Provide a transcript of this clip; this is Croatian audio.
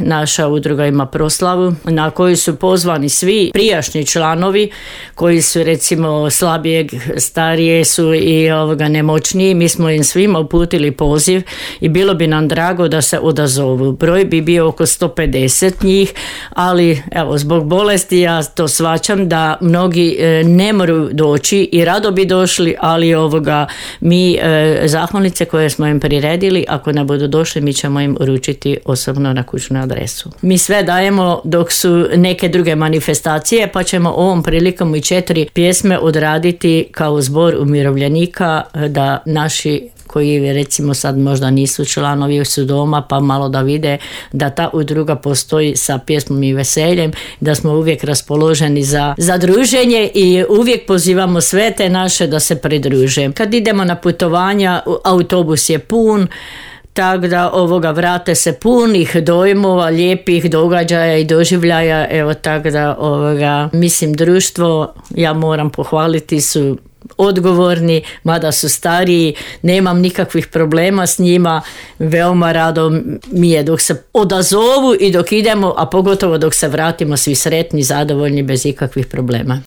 Naša udruga ima proslavu na koju su pozvani svi prijašnji članovi koji su recimo slabijeg, starije su i nemoćniji. Mi smo im svima uputili poziv i bilo bi nam drago da se odazovu. Broj bi bio oko 150 njih, ali evo, zbog bolesti ja to shvaćam da mnogi ne moraju doći i rado bi došli, ali mi zahvalnice koje smo im priredili, ako ne budu došli, mi ćemo im uručiti osobno na kućnu adresu. Mi sve dajemo dok su neke druge manifestacije, pa ćemo ovom prilikom i 4 pjesme odraditi kao zbor umirovljenika, da naši koji recimo sad možda nisu članovi, su doma, pa malo da vide da ta udruga postoji sa pjesmom i veseljem, da smo uvijek raspoloženi za druženje i uvijek pozivamo sve te naše da se pridruže. Kad idemo na putovanja, autobus je pun, tako da vrate se punih dojmova, lijepih događaja i doživljaja. Evo, tako da mislim, društvo, ja moram pohvaliti, su odgovorni, mada su stariji, nemam nikakvih problema s njima, veoma rado mi je dok se odazovu i dok idemo, a pogotovo dok se vratimo svi sretni, zadovoljni, bez ikakvih problema.